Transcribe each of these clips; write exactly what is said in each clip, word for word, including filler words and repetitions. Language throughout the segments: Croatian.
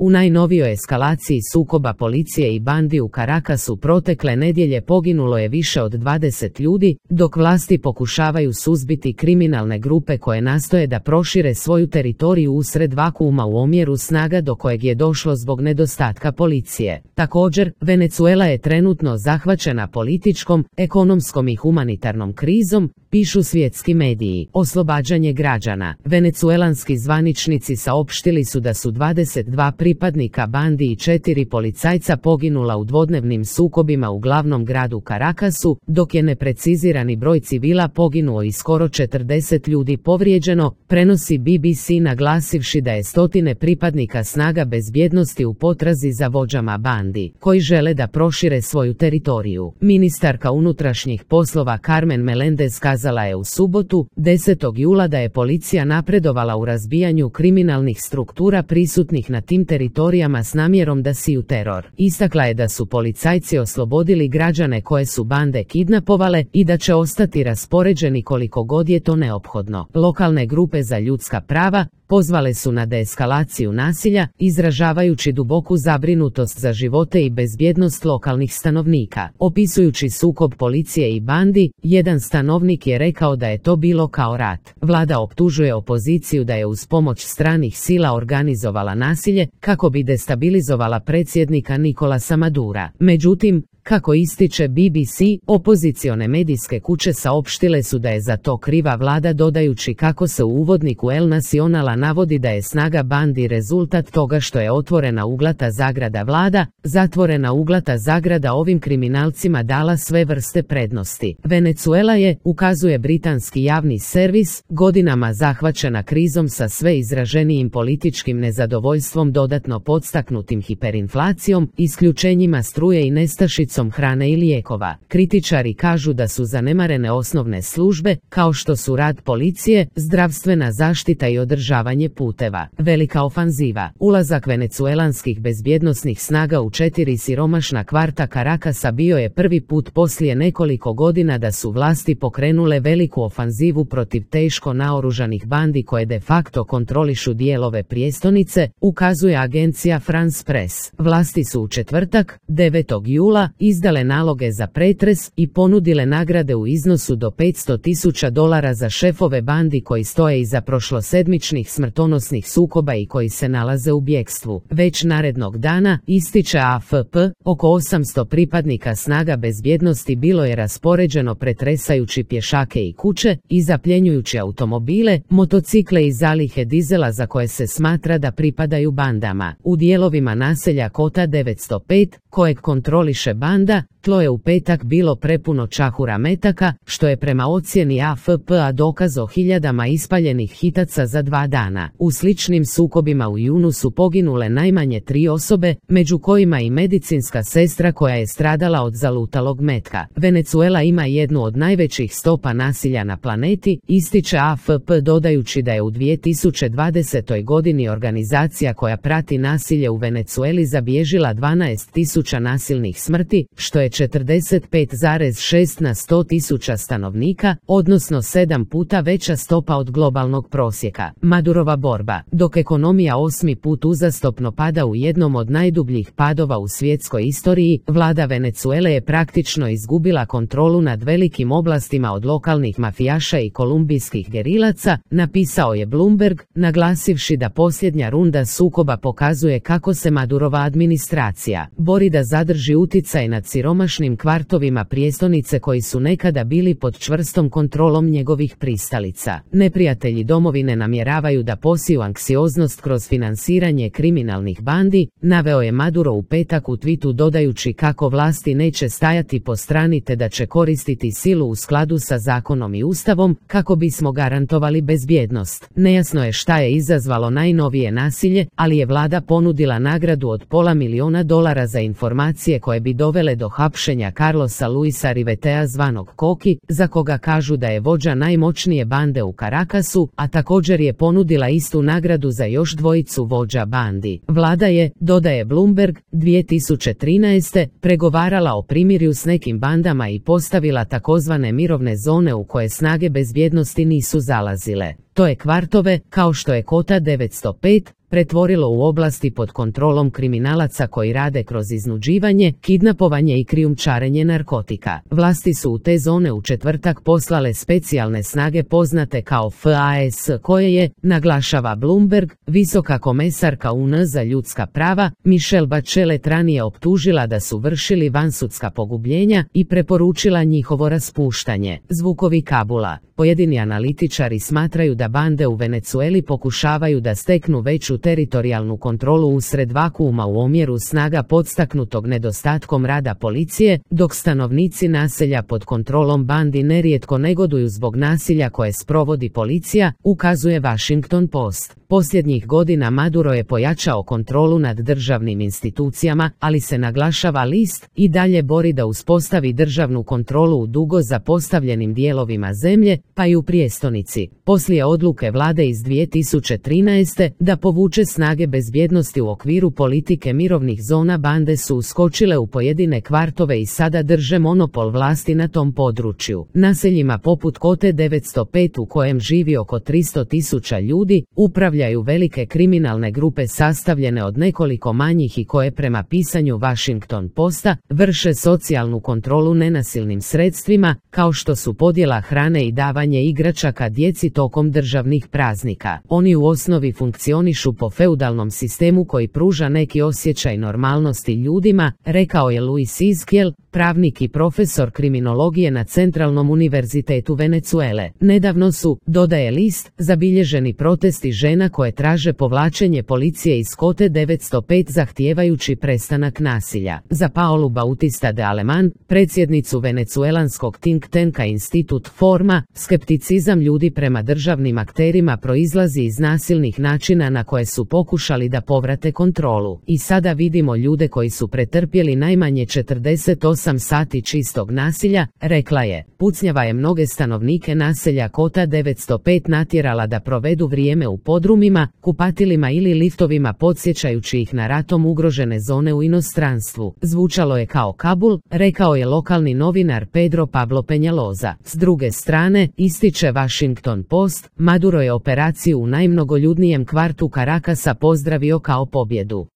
U najnovijoj eskalaciji sukoba policije i bandi u Caracasu protekle nedjelje poginulo je više od dvadeset ljudi, dok vlasti pokušavaju suzbiti kriminalne grupe koje nastoje da prošire svoju teritoriju usred vakuuma u omjeru snaga do kojeg je došlo zbog nedostatka policije. Također, Venezuela je trenutno zahvaćena političkom, ekonomskom i humanitarnom krizom, pišu svjetski mediji. Oslobađanje građana. Venecuelanski zvaničnici saopštili su da su dvadeset dva pripadnika bandi i četiri policajca poginula u dvodnevnim sukobima u glavnom gradu Caracasu, dok je neprecizirani broj civila poginuo i skoro četrdeset ljudi povrijeđeno, prenosi B B C naglasivši da je stotine pripadnika snaga bezbjednosti u potrazi za vođama bandi, koji žele da prošire svoju teritoriju. Ministarka unutrašnjih poslova Carmen Melendez kazala je u subotu, desetog jula da je policija napredovala u razbijanju kriminalnih struktura prisutnih na tim teritorijama s namjerom da siju teror. Istakla je da su policajci oslobodili građane koje su bande kidnapovale i da će ostati raspoređeni koliko god je to neophodno. Lokalne grupe za ljudska prava pozvale su na deeskalaciju nasilja, izražavajući duboku zabrinutost za živote i bezbjednost lokalnih stanovnika. Opisujući sukob policije i bandi, jedan stanovnik je rekao da je to bilo kao rat. Vlada optužuje opoziciju da je uz pomoć stranih sila organizovala nasilje kako bi destabilizovala predsjednika Nicolasa Madura. Međutim, kako ističe B B C, opozicione medijske kuće saopštile su da je za to kriva vlada, dodajući kako se u uvodniku El Nacionala navodi da je snaga bandi rezultat toga što je otvorena uglata zagrada vlada, zatvorena uglata zagrada ovim kriminalcima dala sve vrste prednosti. Venezuela je, ukazuje britanski javni servis, godinama zahvaćena krizom sa sve izraženijim političkim nezadovoljstvom dodatno podstaknutim hiperinflacijom, isključenjima struje i nestašicom hrane i lijekova. Kritičari kažu da su zanemarene osnovne službe, kao što su rad policije, zdravstvena zaštita i održavanje puteva. Velika ofanziva. Ulazak venecuelanskih bezbjednosnih snaga u četiri siromašna kvarta Caracasa bio je prvi put poslije nekoliko godina da su vlasti pokrenule veliku ofanzivu protiv teško naoružanih bandi koje de facto kontrolišu dijelove prijestolnice, ukazuje agencija France Press. Vlasti su u četvrtak, devetog jula, izdale naloge za pretres i ponudile nagrade u iznosu do petsto tisuća dolara za šefove bandi koji stoje iza prošlosedmičnih smrtonosnih sukoba i koji se nalaze u bjegstvu. Već narednog dana, ističe A F P, oko osamsto pripadnika snaga bezbjednosti bilo je raspoređeno pretresajući pješake i kuće i zapljenjujući automobile, motocikle i zalihe dizela za koje se smatra da pripadaju bandama. U dijelovima naselja Kota devetsto pet, kojeg kontroliše banda, tlo je u petak bilo prepuno čahura metaka, što je prema ocjeni A F P-a dokaz o hiljadama ispaljenih hitaca za dva dana. U sličnim sukobima u junu su poginule najmanje tri osobe, među kojima i medicinska sestra koja je stradala od zalutalog metka. Venezuela ima jednu od najvećih stopa nasilja na planeti, ističe A F P dodajući da je u dvije tisuće dvadesetoj godini organizacija koja prati nasilje u Venezueli zabilježila dvanaest tisuća nasilnih smrti, što je četrdeset pet zarez šest na sto tisuća stanovnika, odnosno sedam puta veća stopa od globalnog prosjeka. Madurova borba. Dok ekonomija osmi put uzastopno pada u jednom od najdubljih padova u svjetskoj istoriji, vlada Venezuele je praktično izgubila kontrolu nad velikim oblastima od lokalnih mafijaša i kolumbijskih gerilaca, napisao je Bloomberg, naglasivši da posljednja runda sukoba pokazuje kako se Madurova administracija bori da zadrži uticaj nad siromašnim kvartovima prijestolnice koji su nekada bili pod čvrstom kontrolom njegovih pristalica. Neprijatelji domovine namjeravaju da posiju anksioznost kroz finansiranje kriminalnih bandi, naveo je Maduro u petak u twitu dodajući kako vlasti neće stajati po strani te da će koristiti silu u skladu sa zakonom i ustavom kako bismo garantovali bezbjednost. Nejasno je šta je izazvalo najnovije nasilje, ali je vlada ponudila nagradu od pola miliona dolara za informacije koje bi dovele do hapšenja Carlosa Luisa Rivetea zvanog Koki, za koga kažu da je vođa najmoćnije bande u Caracasu, a također je ponudila istu nagradu za još dvojicu vođa bandi. Vlada je, dodaje Bloomberg, dvije tisuće trinaeste pregovarala o primirju s nekim bandama i postavila takozvane mirovne zone u koje snage bezbjednosti nisu zalazile. To je kvartove, kao što je Kota devetsto pet, pretvorilo u oblasti pod kontrolom kriminalaca koji rade kroz iznuđivanje, kidnapovanje i krijumčarenje narkotika. Vlasti su u te zone u četvrtak poslale specijalne snage poznate kao F A S koje je, naglašava Bloomberg, visoka komesarka U N za ljudska prava, Michelle Bachelet ranije optužila da su vršili vansudska pogubljenja i preporučila njihovo raspuštanje. Zvukovi Kabula. Pojedini analitičari smatraju da bande u Venecueli pokušavaju da steknu veću teritorijalnu kontrolu usred vakuuma u omjeru snaga podstaknutog nedostatkom rada policije, dok stanovnici naselja pod kontrolom bandi nerijetko negoduju zbog nasilja koje sprovodi policija, ukazuje Washington Post. Posljednjih godina Maduro je pojačao kontrolu nad državnim institucijama, ali se, naglašava list, i dalje bori da uspostavi državnu kontrolu u dugo zapostavljenim dijelovima zemlje, pa i u prijestolnici. Poslije odluke vlade iz dvije tisuće trinaeste da povuče snage bezbjednosti u okviru politike mirovnih zona, bande su uskočile u pojedine kvartove i sada drže monopol vlasti na tom području. Naseljima poput Kote devetsto pet u kojem živi oko tristo tisuća ljudi, upravljaju velike kriminalne grupe sastavljene od nekoliko manjih i koje prema pisanju Washington Posta vrše socijalnu kontrolu nenasilnim sredstvima, kao što su podjela hrane i davanje igračaka djeci tokom državnih praznika. Oni u osnovi funkcionišu po feudalnom sistemu koji pruža neki osjećaj normalnosti ljudima, rekao je Luis Izquiel, pravnik i profesor kriminologije na Centralnom univerzitetu Venecuele. Nedavno su, dodaje list, zabilježeni protesti žena koje traže povlačenje policije iz Kote devetsto pet zahtijevajući prestanak nasilja. Za Paolu Bautista de Aleman, predsjednicu venecuelanskog think tanka Institut Forma, skepticizam ljudi prema državnim akterima proizlazi iz nasilnih načina na koje su pokušali da povrate kontrolu. I sada vidimo ljude koji su pretrpjeli najmanje četrdeset osam sati čistog nasilja, rekla je. Pucnjava je mnoge stanovnike naselja Kota devetsto pet natjerala da provedu vrijeme u podrumima, kupatilima ili liftovima podsjećajući ih na ratom ugrožene zone u inostranstvu. Zvučalo je kao Kabul, rekao je lokalni novinar Pedro Pablo Peñaloza. S druge strane, ističe Washington Post, Maduro je operaciju u najmnogoljudnijem kvartu Carakasa pozdravio kao pobjedu.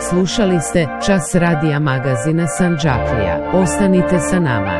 Slušali ste Čas radija magazina Sandžaklija. Ostanite sa nama.